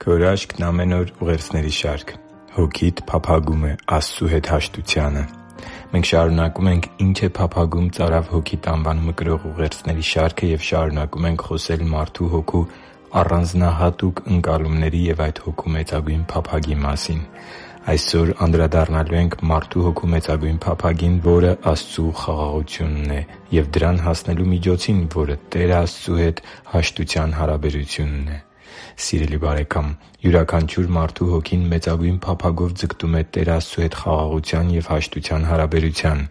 Քո հրաշքն ամեն օր ուղերձների շարք։ Հոգիդ փափագում է Աստծու հետ հաշտությանը։ Մենք շարունակում ենք «Ի՞նչ է փափագում ծարավ հոգիդ» անվանումը կրող ուղերձների շարքը և շարունակում ենք խոսել մարդու հոգու առանձնահատուկ ընկալումների և այդ հոգու մեծագույն փափագի մասին։ Այսօր անդրադառնալու ենք մարդու հոգու մեծագույն փափագին, որը Աստծու խաղաղությունն է, և դրան հասնելու միջոցին, որը Տեր Աստծու հետ հաշտության հարաբերությունն է։ Սիրելի՛ բարեկամ, յուրաքանչյուր մարդու հոգին մեծագույն փափագով ձգտում է Տեր Աստծու հետ խաղաղության և հաշտության հարաբերության։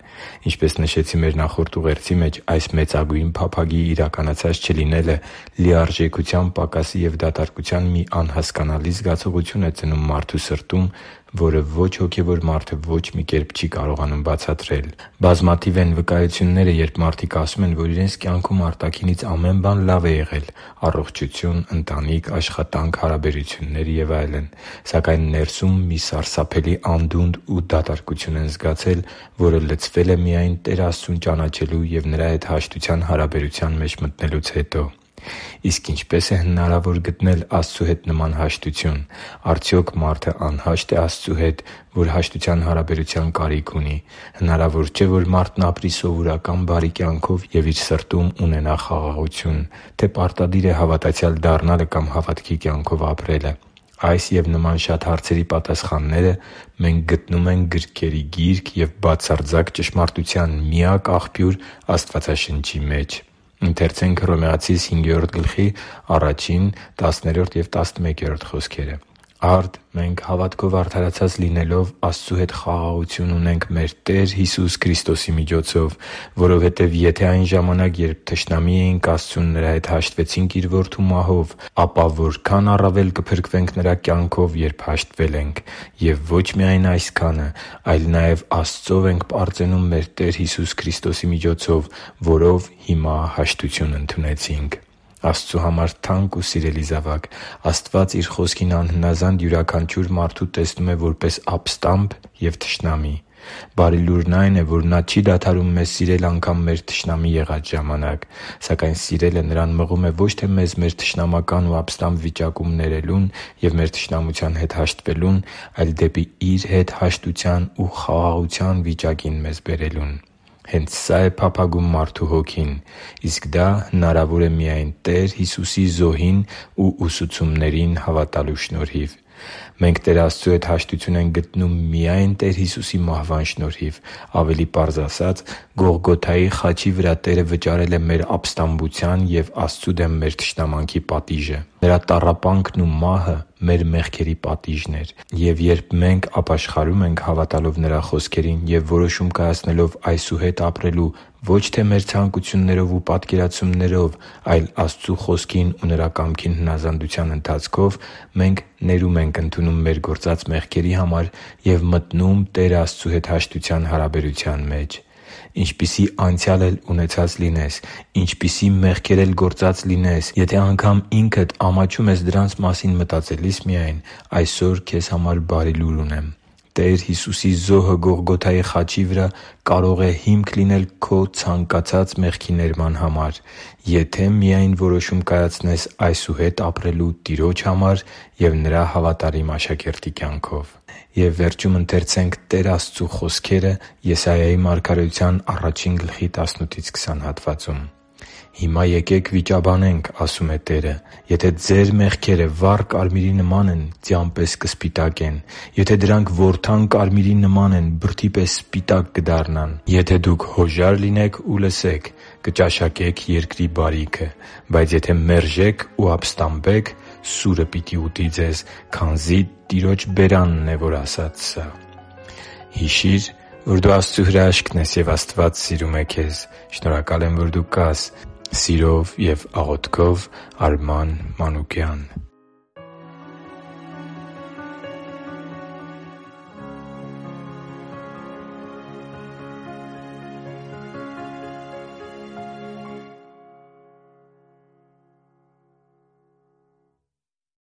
Ինչպես նշեցի մեր նախորդ ուղերձի մեջ, այս մեծագույն փափագի իրականացած չլինելը լիարժեքության պակասի և դատարկության մի անհասկանալի զգացողություն է ծնում մարդու սրտում, որը ոչ հոգևոր մարդը ոչ մի կերպ չի կարողանում բացատրել։ Բազմաթիվ են վկայությունները, երբ մարդիկ ասում են, որ իրենց կյանքում արտաքինից ամեն բան լավ է եղել՝ առողջություն, ընտանիք, աշխատանք, հարաբերություններ և այլն։ Սակայն ներսում մի սարսափելի անդունդ ու դատարկություն են զգացել, որը լցվել է միայն Տեր Աստծուն ճանաչելու և Նրա հետ հաշտության հարաբերության մեջ մտնելուց հետո։ Իսկ ինչպե՞ս է հնարավոր գտնել Աստծու հետ նման հաշտություն։ Արդյոք մարդը անհաշտ է Աստծու հետ, որ հաշտության հարաբերության կարիք ունի։ Հնարավոր չէ, որ մարդն ապրի սովորական բարի կյանքով և իր սրտում ունենա խաղաղություն, թե պարտադիր է հավատացյալ դառնալը կամ հավատքի կյանքով ապրելը։ Այս և նման շատ հարցերի պատասխանները մենք գտնում ենք գրքերի Գիրք և բացարձակ ճշմարտության միակ աղբյուր Աստվածաշնչի մեջ։ «Արդ մենք հավատքով արդարացած լինելով Աստծու հետ խաղաղություն ունենք մեր Տեր Հիսուս Քրիստոսի միջոցով, որովհետև եթե այն ժամանակ, երբ թշնամի էինք Աստծուն, Նրա հետ հաշտվեցինք Իր Որդու մահով, ապա որքա՜ն առավել կփրկվենք Նրա կյանքով, երբ հաշտվել ենք։ Եվ ոչ միայն այսքանը, այլ նաև Աստծով ենք պարծենում մեր Տեր Հիսուս Քրիստոսի միջոցով, որով հիմա հաշտություն ընդունեցինք» (Հռոմեացիս 5:1-11): Աստծու համար թանկ ու սիրելի՛ զավակ, Աստված Իր Խոսքին անհնազանդ յուրաքանչյուր մարդու տեսնում է որպես ապստամբ և թշնամի։ Բարի լուրն այն է, որ Նա չի դադարում մեզ սիրել անգամ մեր թշնամի եղած ժամանակ։ Սակայն սիրելը Նրան մղում է ոչ թե մեզ մեր թշնամական ու ապստամբ վիճակում ներելուն և մեր թշնամության հետ հաշտվելուն, այլ դեպի Իր հետ հաշտության ու խաղաղության վիճակին մեզ բերելուն։ Հենց սա՛ է փափագում մարդու հոգին։ Իսկ դա հնարավոր է միայն Տեր Հիսուսի զոհին ու ուսուցումներին հավատալու շնորհիվ։ Մենք Տեր Աստծու հետ հաշտություն ենք գտնում միայն Տեր Հիսուսի մահվան շնորհիվ։ Ավելի պարզ ասած՝ Գողգոթայի խաչի վրա Տերը վճարել է մեր ապստամբության և Աստծու դեմ մեր թշնամանքի պատիժը։ Նրա տառապանքն ու մահը մեր մեղքերի պատիժն էր։ Եվ երբ մենք ապաշխարում ենք հավատալով Նրա խոսքերին և որոշում կայացնելով այսուհետ ապրելու ոչ թե մեր ցանկություններով ու պատկերացումներով, այլ Աստծու Խոսքին ու Նրա կամքին հնազանդության ընթացքով, մենք ներում ենք ընդունում մեր գործած մեղքերի համար և մտնում Տեր Աստծու հետ հաշտության հարաբերության մեջ։ Ինչպիսի անցյալ էլ ունեցած լինես, ինչպիսի մեղքեր էլ գործած լինես, եթե անգամ ինքդ ամաչում ես դրանց մասին մտածելիս միայն, այսօր քեզ համար բարի լուր ունեմ։ Տեր Հիսուսի զոհը Գողգոթայի խաչի վրա կարող է հիմք լինել քո ցանկացած մեղքի ներման համար, եթե միայն որոշում կայացնես այսուհետ ապրելու Տիրոջ համար և Նրա հավատարիմ աշակերտի կյանքով։ «Հիմա եկեք վիճաբանենք, – ասում է Տերը, – եթե ձեր մեղքերը վառ կարմիրի նման են, ձյան պես կսպիտակեն. եթե դրանք որդան կարմիրի նման են, բրդի պես սպիտակ կդառնան։ Եթե դուք հոժար լինեք ու լսեք, կճաշակեք երկրի բարիքը։ Բայց եթե մերժեք ու ապստամբեք, սուրը պիտի ուտի ձեզ, քանզի Տիրոջ բերանն է, որ ասաց սա» Հիշի՛ր, որ դու Աստծո հրաշքն ես, և Աստված սիրում է քեզ։ Շնորհակալ եմ, որ դու կա՛ս։ Սիրով և աղոթքով՝ Արման Մանուկյան։